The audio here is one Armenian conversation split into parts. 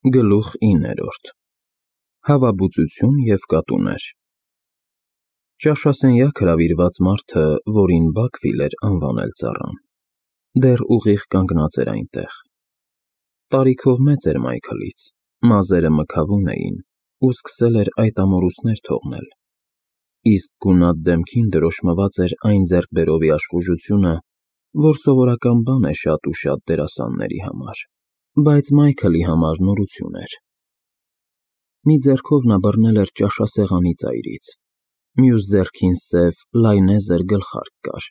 Գլուխ 9 Հավաբուծություն և կատուներ Ճաշասենյակ հրավիրված մարդը, որին Բաքվիլ էր անվանել ծառան, դեռ ուղիղ կանգնած էր այնտեղ։ Տարիքով մեծ էր Մայքլից, մազերը մքավուն էին ու սկսել էր այդ ամորուսներ թողնել, իսկ գունատ դեմքին դրոշմված էր այն ձեռքբերովի աշխուժությունը, որ սովորական բան է շատ ու շատ դերասանների համար, բայց Մայքլի համար նորություն էր։ Մի ձեռքով նա բռնել էր ճաշասեղանի ծայրից, մյուս ձեռքին սև լայնեզր գլխարկ կար։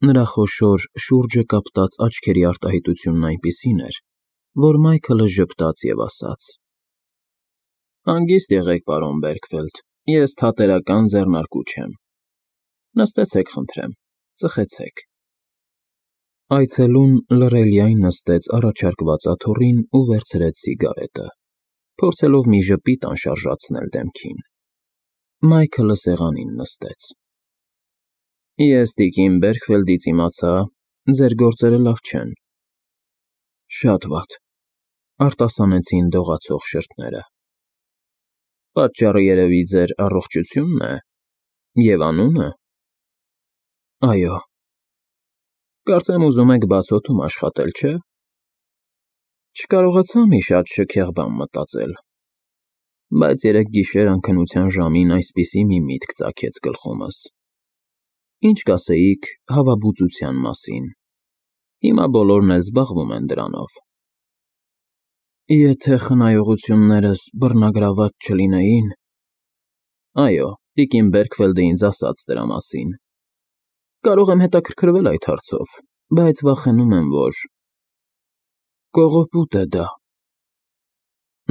Նրա խոշոր, շուրջը կապտած աչքերի արտահայտությունն այնպիսին էր, որ Մայքլը ժպտաց և ասաց. «Հանգիստ եղեք, պարոն Բերքֆելդ, ես Թատերական ձեռնարկու չեմ։ Նստեցեք, խնդրեմ, ծխեցեք»։ Այցելուն լռելիայն նստեց առաջարկված աթոռին ու վերցրեց սիգարետը, փորձելով մի ժպիտ անշարժացնել դեմքին։ Մայքլը սեղանին նստեց։ «Ես տիկին Բերքֆելդից իմացա, ձեր գործերը լավ չեն»։ «Շատ վատ», արտասանեցին դողացող շրթները։ «Պատճառը երևի ձեր առողջությունն է, և անունը»։ «Այո»։ «Կարծեմ ուզում եք բացօդում աշխատել, չէ՞։ Չկարողացա մի շատ շքեղ բան մտածել, բայց երեկ գիշեր անքնության ժամին այսպիսի մի միտք ծագեց գլխումս։ Ինչ կասեիք հավաբուծության մասին։ Հիմա բոլորն էլ զբաղվում են դրանով»։ «Եթե խնայողություններս բռնագրաված չլինեին»։ «Այո, տիկին Բերքֆելդը ինձ ասաց դրա մասին։ Կարող եմ հետաքրքրվել այդ հարցով, բայց վախենում եմ, որ… կողոպուտ է դա»։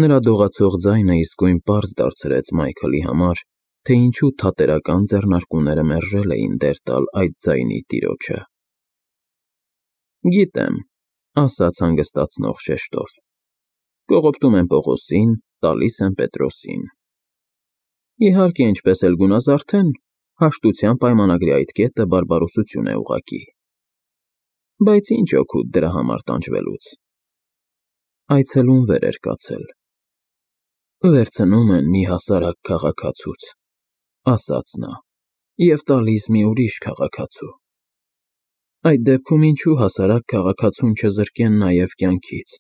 Նրա դողացող ձայնը իսկույն պարզ դարձրեց Մայքլի համար, թե ինչու Թատերական ձեռնարկուները մերժել էին դեր տալ այդ ձայնի տիրոջը։ «Գիտեմ», ասաց հանգստացնող շեշտով։ «Կողոպտում են Պողոսին, տալիս են Պետրոսին։ Իհարկե, ինչպես էլ գունազարդեն, հաշտության պայմանագրի այդ կետը բարբարոսություն է ուղղակի։ Բայց ինչ օգուտ դրա համար տանջվելուց»։ Այցելուն վեր էր կացել։ «Վերցնում են մի հասարակ քաղաքացուց», ասաց նա, «և տալիս մի ուրիշ քաղաքացու։ Այդ դեպքում ինչու հասարակ քաղաքացուն չզրկեն նաև կյանքից,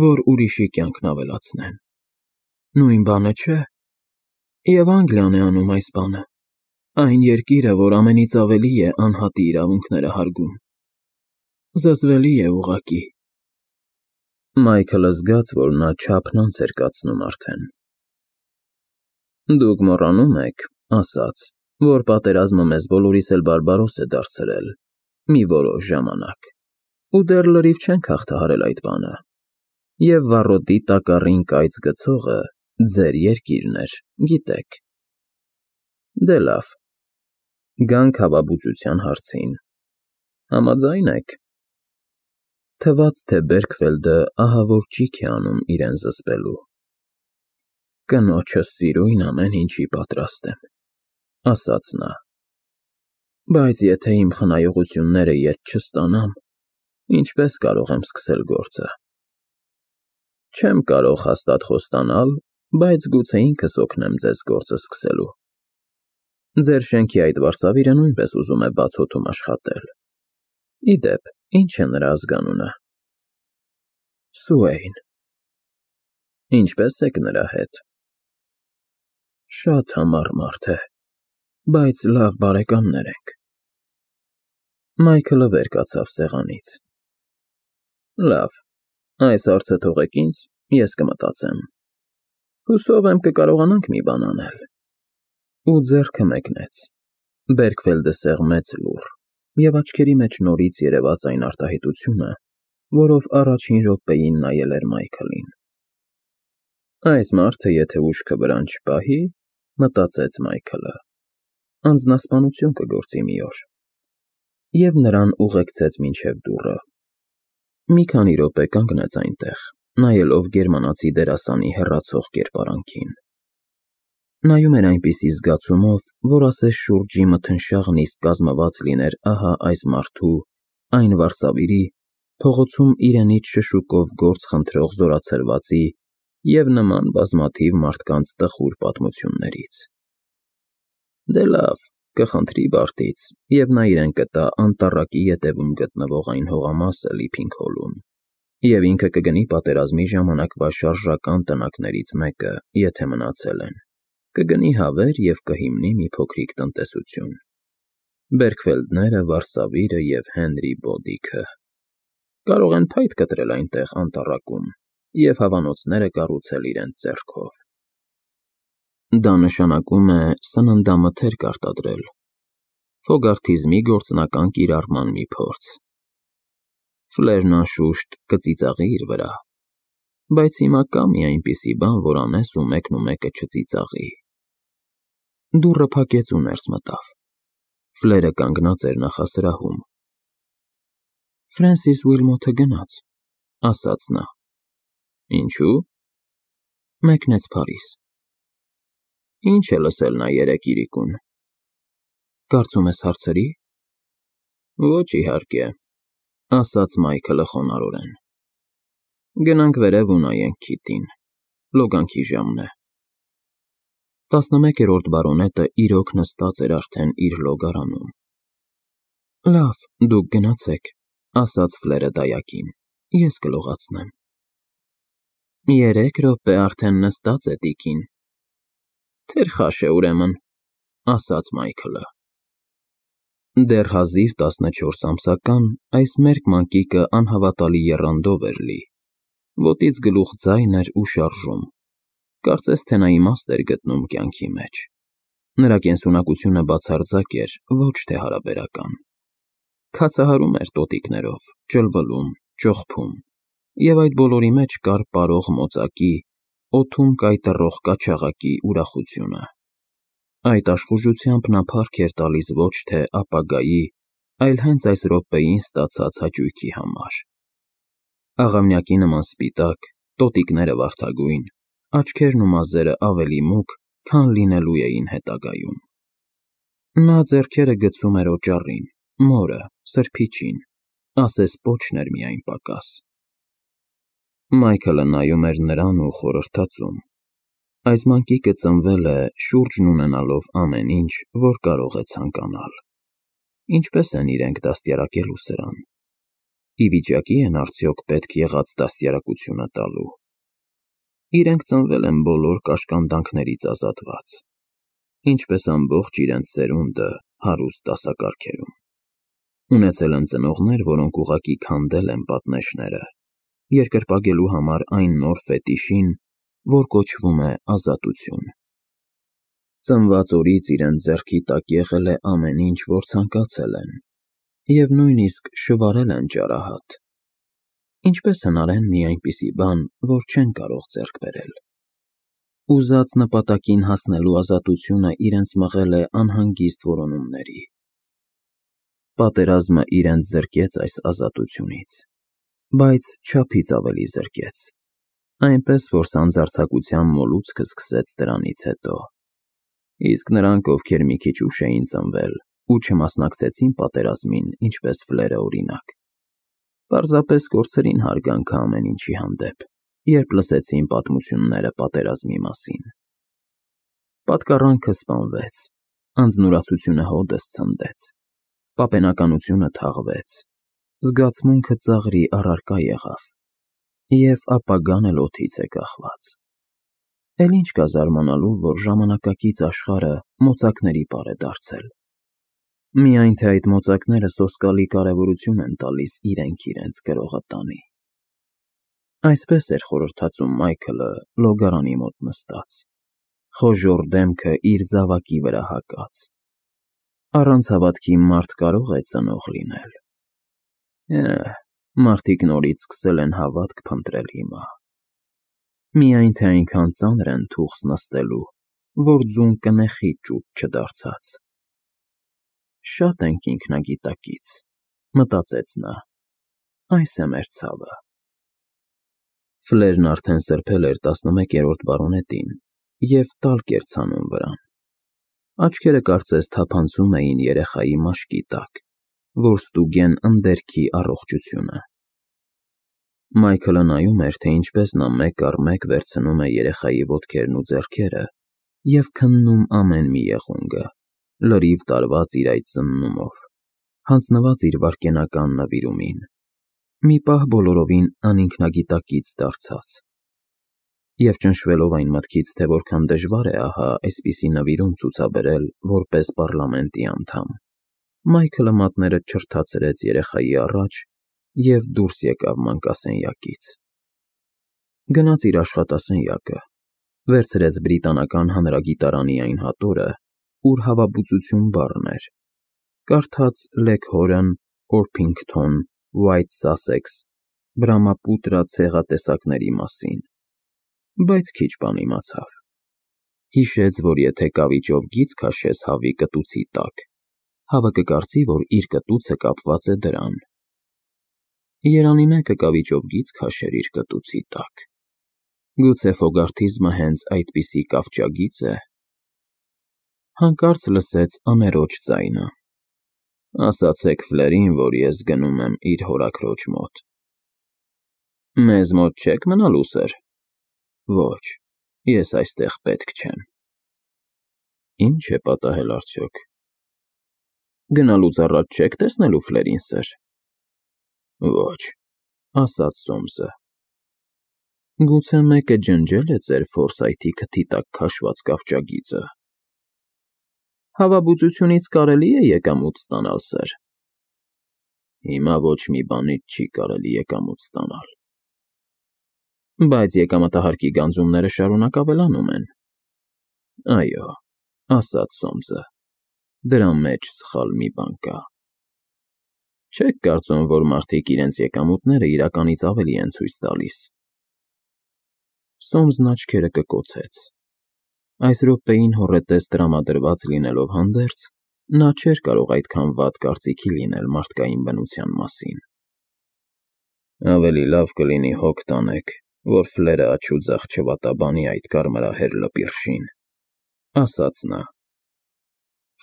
որ ուրիշի կյանքն ավելացնեն։ Նույն բանը չէ։ Եվ Անգլիան է անում այս բանը, այն երկիրը, որ ամենից ավելի է անհատի իրավունքները հարգում։ Զզվելի է ուղղակի»։ Մայքլը զգաց, որ նա չափնանց էր կացնում արդեն։ «Դուք մոռանում եք, ասաց, որ պատերազմը մեզ բոլորիս էլ բարբարոս է դարձրել մի որոշ ժամանակ, ու դեռ լրիվ չենք հաղթահարել այդ բանը, և վառոդի տակառին կայծ գցողը ձեր երկիրն էր, գիտեք։ Դե լավ, գանք հավաբուծության հարցին։ Համաձա՞յն եք»։ Թվաց, թե Բերքֆելդը ահավոր ճիգ է անում իրեն զսպելու։ «Կնոջս սիրույն ամեն ինչի պատրաստ եմ», ասաց նա։ «Բայց եթե իմ խնայողությունները ետ չստանամ, ինչպե՞ս կարող եմ սկսել գործը։ Չեմ կարող հաստատ խոստանալ, բայց գուցե ինքս օգնեմ ձեզ գործը սկսելու։ Ձեր շենքի այդ վարսավիրը նույնպես ուզում է բացօդում աշխատել։ Ի դեպ, ի՞նչ է նրա ազգանունը»։ «Սուեյն»։ «Ինչպե՞ս եք նրա հետ»։ «Շատ համառ մարդ է, բայց լավ բարեկամներ ենք»։ Մայքլը վեր կացավ սեղանից։ «Լավ, այս հարցը թողեք ինձ, ես կմտածեմ։ Հուսով եմ կկարողանանք մի բան անել»։ Ու ձեռքը մեկնեց։ Բերքֆելդը սեղմեց լուռ, և աչքերի մեջ նորից երևաց այն արտահայտությունը, որով առաջին րոպեին նայել էր Մայքլին։ «Այս մարդը եթե ուշքը վրան չպահի, մտածեց Մայքլը, անձնասպանություն կգործի մի օր։ Եվ նրան ուղեկցեց մինչև դուռը։ Մի քանի րոպե կանգնեց այնտեղ, նայելով գերմանացի դերասանի հեռացող կերպարանքին։ Նայում էր այնպիսի զգացումով, որ ասես շուրջի մթնշաղն իսկ կազմված լիներ ահա այս մարդու, այն վարսավիրի, փողոցում իրենից շշուկով գործ խնդրող զորացրվածի և նման բազմաթիվ մարդկանց տխուր պատմություններից։ Դե լավ, կխնդրի Բարտից, և նա իրեն կտա անտառակի ետևում գտնվող այն հողամասը Լիփինգհոլում, և ինքը կգնի պատերազմի ժամանակվա շարժական տնակներից մեկը, եթե մնացել են, կգնի հավեր և կհիմնի մի փոքրիկ տնտեսություն։ Բերքվելդները, Վարսավիրը և Հենրի Բոդիքը կարող են փայտ կտրել այնտեղ անտառակում և հավանոցները կառուցել իրենց ձեռքով։ Դա նշանակում է սննդամթերք արտադրել, ֆոգարթիզմի գործնական կիրառման մի փորձ։ Ֆլերն անշուշտ կծիծաղի իր վրա, բայց հիմա կա մի այնպիսի բան, որ անես ու մեկը չծիծաղի։ Դուռը փակեց ու ներս մտավ։ Ֆլերը կանգնած էր նախասրահում։ Ֆրենսիս Ուիլմոթը գնաց, ասաց նա։ Ինչու՞։ Մեկնեց Փարիզ։ Ինչ է լսել նա երեկ իրիկուն։ Կարծում ես հարցրի։ Ոչ իհարկե, ասաց Մայքլը խոնարհորեն։ Գնանք վերև ու նայենք քիթին, լոգանքի ժամն է։ 11-րդ բարոնետը իրոք նստած էր արդեն իր լոգարանում։ Լավ, դուք գնացեք, ասաց Ֆլերը դայակին, ես կլողացնեմ։ 3 րոպե արդեն նստած է տիկին։ Թերխաշ է ուրեմն, ասաց Մայքլը։ Դեռ հազիվ 14 ամսական այս մերկ մանկիկը անհավատալի եռանդով էր լի, ոտից գլուխ ձայն էր ու շարժում, կարծես թե նա իմաստ էր գտնում կյանքի մեջ։ Նրա կենսունակությունը բացարձակ էր, ոչ թե հարաբերական։ Քացահարում էր տոտիկներով, ճլվլում, ճողփում, և այդ բոլորի մեջ կար պարող մոծակի, օդում կայտռող կաչաղակի ուրախությունը։ Այդ աշխուժությամբ նա փառք էր տալիս ոչ թե ապագայի, այլ հենց այս րոպեին ստացած հաճույքի համար։ Աղավնյակի նման սպիտակ, տոտիկները վարդագույն, աչքերն ու մազերը ավելի մուգ, քան լինելու էին հետագայում։ Նա ձեռքերը գցում էր օճառին, մորը, սրբիչին, ասես պոչն էր միայն պակաս։ Մայքլը նայում էր նրան ու խորհրդածում։ Այս մանկիկը ծնվել է շուրջն ունենալով ամեն ինչ, որ կարող է ցանկանալ։ Ինչպես են իրենք դաստիարակելու սրան։ Ի վիճակի են արդյոք պետք եղած դաստիարակությունը տալու։ Իրենք ծնվել են բոլոր կաշկանդանքներից ազատված, ինչպես ամբողջ իրենց սերունդը հարուստ դասակարգերում։ Ունեցել են ծնողներ, որոնք ուղղակի քանդել են պատնեշները, երկրպագելու համար այն նոր ֆետիշին, որ կոչվում է ազատություն։ Ծնված օրից իրենց ձեռքի տակ եղել է ամեն ինչ, որ ցանկացել են, և նույնիսկ շվարել են ճարահատ։ Ինչպես հնարեն մի այնպիսի բան, որ չեն կարող ձեռք բերել։ Ուզած նպատակին հասնելու ազատությունը իրենց մղել է անհանգիստ որոնումների։ Պատերազմը իրենց զրկեց այս ազատությունից, բայց չափից ավելի զրկեց, այնպես որ սանձարձակության մոլուցքը սկսեց դրանից հետո։ Իսկ նրանք, ովքեր մի քիչ ուշ էին ծնվել ու չմասնակցեցին պատերազմին, ինչպես Ֆլերը օրինակ, պարզապես կորցրին հարգանքը ամեն ինչի հանդեպ, երբ լսեցին պատմությունները պատերազմի մասին։ Պատկառանքը սպանվեց, անձնուրացությունը հօդս ցնդեց, պապենականությունը թաղվեց, զգացմունքը ծաղրի առարկա եղավ, և ապագան էլ օդից է կախված։ Էլ ինչ կա զարմանալու, որ ժամանակակից աշխարհը մոծակների պար է դարձել։ Միայն թե այդ մոծակները սոսկալի կարևորություն են տալիս իրենց գրողը տանի։ Այսպես էր խորհրդածում Մայքլը լոգարանի մոտ նստած, խոժոռ դեմքը իր զավակի վրա հագած։ Առանց հավատքի մարդ կարող է ծնող լինել։ Մարդիկ նորից սկսել են հավատք փնտրել հիմա։ Միայն թե այնքան ծանր են թուխս նստելու, որ ձուն կնեխի ճուտ չդարձած։ Շատ ենք ինքնագիտակից, մտածեց նա, այս է մեր ցավը։ Ֆլերն արդեն սրբել էր 11-րդ բարոնետին և տալկ էր ցանում վրան։ Աչքերը կարծես թափանցում էին երեխայի մաշկի տակ, որ ստուգեն ընդերքի առողջությունը։ Մայքլը նայում էր, թե ինչպես նա մեկ առ մեկ վերցնում է երեխայի ոտքերն ու ձեռքերը և քննում ամեն մի եղունգը, լրիվ տարված իր այդ ծննումով, հանձնված իր վայրկենական նվիրումին, մի պահ բոլորովին անինքնագիտակից դարձած։ Եվ ճնշվելով այն մտքից, թե որքան դժվար է ահա այսպիսի նվիրում ցուցաբերել որպես պառլամենտի անդամ, Մայքլը մատները չրթացրեց երեխայի առաջ և դուրս եկավ մանկասենյակից։ Գնաց իր աշխատասենյակը, վերցրեց բրիտանական հանրագիտարանի այն հատորը, ուր հավաբուծություն բառն էր, կարդաց Leghorn, Orpington, White Sussex, Brahmaputra ցեղատեսակների մասին, բայց քիչ բան իմացավ։ Հիշեց, որ եթե կավիճով գիծ քաշես հավի կտուցի տակ, հավը կկարծի, որ իր կտուցը կապված է դրան։ Երանի մեկը կավիճով գիծ քաշեր իր կտուցի տակ։ Գուցե ֆոգարտիզմը հենց այդպիսի կավճագի՞ծ է։ Հանկարծ լսեց ամերոջ ձայնը. ասացեք Ֆլերին, որ ես գնում եմ իր հորաքրոջ մոտ։ Մեզ մոտ չեք մնալու, սըր։ Ոչ, ես այստեղ պետք չեմ։ Ինչ է պատահել արդյոք։ Գնալուց առաջ չեք տեսնելու Ֆլերին, սըր։ Ոչ, ասաց Սոմսը։ Գուցե մեկը ջնջել է ձեր Ֆորսայթի քթի տակ քաշված կավճագիծը։ Հավաբուծությունից կարելի է եկամուտ ստանալ, սըր։ Հիմա ոչ մի բանից չի կարելի եկամուտ ստանալ։ Բայց եկամտահարկի գանձումները շարունակ ավելանում են։ Այո, ասաց Սոմսը, դրա մեջ սխալ մի բան կա։ Չեք կարծում, որ մարդիկ իրենց եկամուտները իրականից ավելի են ցույց տալիս։ Սոմսն աչքերը կկոցեց։ Այս րոպեին հոռետես տրամադրված լինելով հանդերձ, նա չէր կարող այդքան վատ կարծիքի լինել մարդկային բնության մասին։ Ավելի լավ կլինի հոգ տանեք, որ Ֆլերը աջ ու ձախ չվատաբանի այդ կարմրահեր լպիրշին, ասաց նա։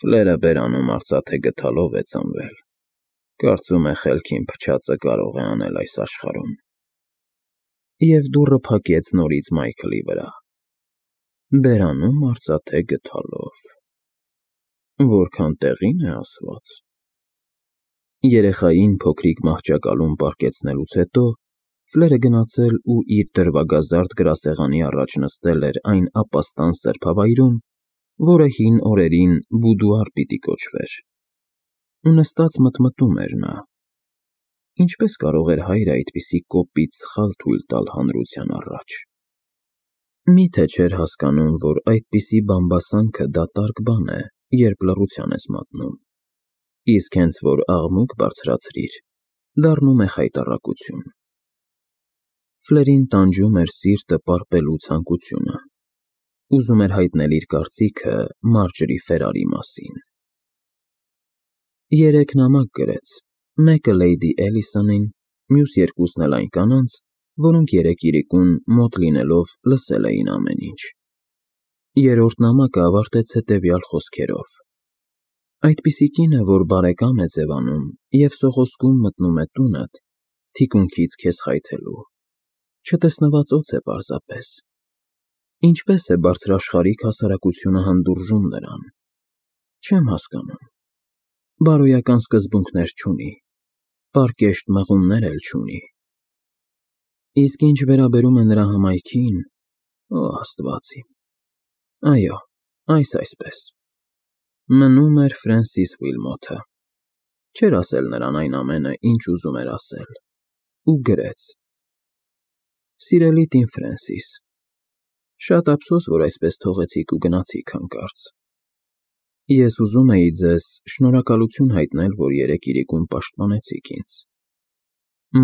Ֆլերը բերանում արծաթե գդալով է ծնվել։ Կարծում է խելքին փչածը կարող է անել այս աշխարհում։ Եվ դուռը փակեց նորից Մայքլի վրա։ Բերանում արծաթե գդալով։ Որքան տեղին է ասված։ Երեխային փոքրիկ մահճակալում պառկեցնելուց հետո Ֆլերը գնացել ու իր դրվագազարդ գրասեղանի առաջ նստել էր այն ապաստան սրբավայրում, որը հին օրերին բուդուար պիտի կոչվեր։ Ու նստած մտմտում էր նա. ինչպես կարող էր հայրը այդպիսի կոպիտ սխալ թույլ տալ հանրության առաջ։ Միթե չէր հասկանում, որ այդպիսի բամբասանքը դատարկ բան է, երբ լռության ես մատնում, իսկ հենց որ աղմուկ բարձրացրիր, դառնում է խայտառակություն։ Ֆլերին տանջում էր սիրտը պարպելու ցանկությունը, ուզում էր հայտնել իր կարծիքը Մարջրի Ֆերարի մասին։ 3 նամակ գրեց, մեկը Լեյդի Էլիսոնին, մյուս երկուսն էլ այն կանանց, որոնք երեկ իրիկուն մոտ լինելով լսել էին ամեն ինչ։ Երրորդ նամակը ավարտեց հետևյալ խոսքերով. այդպիսի կինը, որ բարեկամ է ձևանում և սողոսկում մտնում է տունդ, թիկունքից քեզ խայթելու, չտեսնված օձ է պարզապես։ Ինչպես է բարձրաշխարհիկ հասարակությունը հանդուրժում նրան։ Չեմ հասկանում։ Բարոյական սկզբունքներ չունի, պարկեշտ մղումներ էլ չունի։ Իսկ ինչ վերաբերում է նրա հմայքին, օ Աստված իմ, այո, այսպես։ Մնում էր Ֆրենսիս Ուիլմոթը։ Չէր ասել նրան այն ամենը, ինչ ուզում էր ասել, ու գրեց. Սիրելի տին Ֆրենսիս, շատ ափսոս, որ այսպես թողեցիք ու գնացիք հանկարծ։ Ես ուզում էի ձեզ շնորհակալություն հայտնել, որ երեկ իրիկուն պաշտպանեցիք ինձ։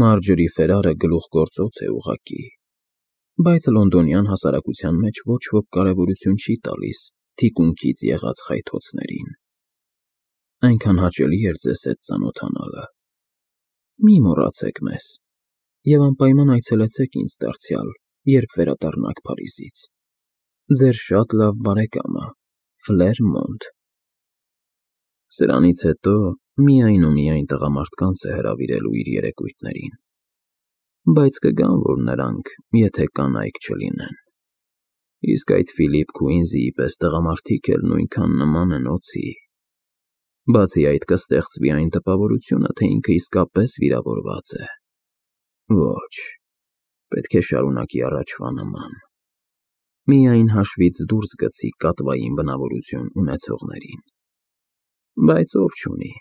Մարջրի Ֆերարը գլուխգործոց է ուղղակի, բայց լոնդոնյան հասարակության մեջ ոչ ոք կարևորություն չի տալիս թիկունքից եղած խայթոցներին։ Այնքան հաճելի էր ձեզ հետ ծանոթանալը։ Մի մոռացեք մեզ և անպայման այցելեցեք ինձ դարձյալ, երբ վերադառնաք Փարիզից։ Ձեր շատ լավ բարեկամը, Ֆլեր Մոնտ։ Սրանից հետո միայն ու միայն տղամարդկանց է հրավիրելու իր երեկույթներին։ Բայց կգան, որ նրանք, եթե կանայք չլինեն։ Իսկ այդ Ֆիլիպ Քուինզիի պես տղամարդիկ էլ նույնքան նման են օձի։ Բացի այդ կստեղծվի այն տպավորությունը, թե ինքը իսկապես վիրավորված է։ Ոչ, պետք է շարունակի առաջվա նման։ Միայն հաշվից դուրս գցի կատվային բնավորություն ունեցողներին։ Բայց ով չունի,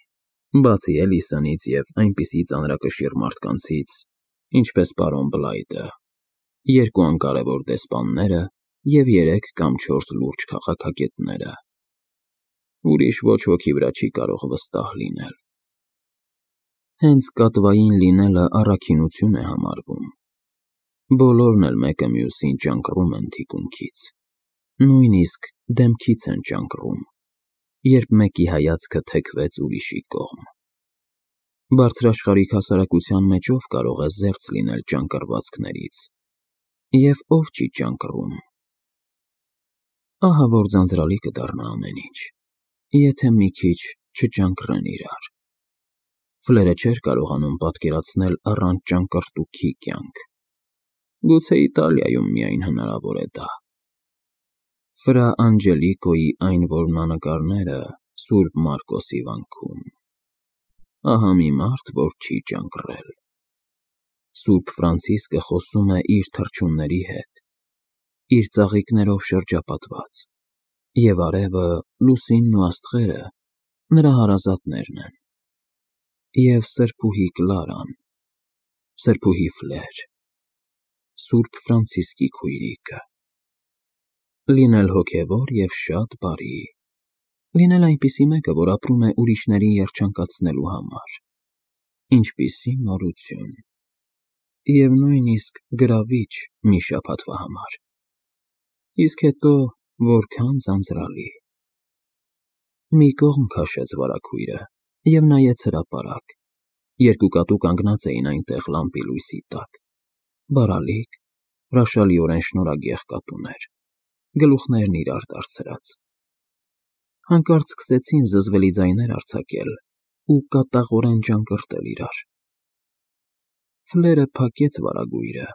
բացի Էլիսոնից և այնպիսի ծանրակշիռ մարդկանցից, ինչպես պարոն Բլայթը, 2 անկարևոր դեսպանները և 3 կամ 4 լուրջ քաղաքագետները։ Ուրիշ ոչ ոքի վրա չի կարող վստահ լինել։ Հենց կատվային լինելը առաքինություն է համարվում։ Բոլորն էլ մեկը մյուսին ճանկռում են թիկունքից, նույնիսկ դեմքից են ճանկռում, երբ մեկի հայացքը թեքվեց ուրիշի կողմ։ Բարձրաշխարհիկ հասարակության մեջ ով կարող է զերծ լինել ճանկռվածքներից, և ով չի ճանկռում։ Ահա որ ձանձրալի կդառնա ամեն ինչ, եթե մի քիչ չճանկռեն իրար։ Ֆլերը չէր կարողանում պատկերացնել առանց ճանկռտուքի կյանք։ Գուցե Իտալիայում միայն հնարավոր է դա։ Ֆրա Անջելիկոյի այն որմնանկարները Սուրբ Մարկոսի վանքում։ Ահա մի մարդ, որ չի ճանկռել։ Սուրբ Ֆրանցիսկը խոսում է իր թռչունների հետ, իր ծաղիկներով շրջապատված, և արևը, լուսինն ու աստղերը նրա հարազատներն են։ Եվ սրբուհի Կլարան, սրբուհի Ֆլեր, Սուրբ Ֆրանցիսկի քույրիկը։ Լինել հոգևոր և շատ բարի, լինել այնպիսի մեկը, որ ապրում է ուրիշներին երջանկացնելու համար։ Ինչպիսի նորություն։ Եվ նույնիսկ գրավիչ մի շաբաթվա համար։ Իսկ հետո որքան ձանձրալի։ Մի կողմ քաշեց վարագույրը և նայեց հրապարակ։ 2 կատու կանգնած էին այնտեղ լամպի լույսի տակ։ Բարալիկ, հրաշալիորեն շնորհագեղ կատուներ, գլուխներն իրար դարձրած։ Հանկարծ սկսեցին զզվելի ձայներ արձակել ու կատաղորեն ճանկռտել իրար։ Ֆլերը փակեց վարագույրը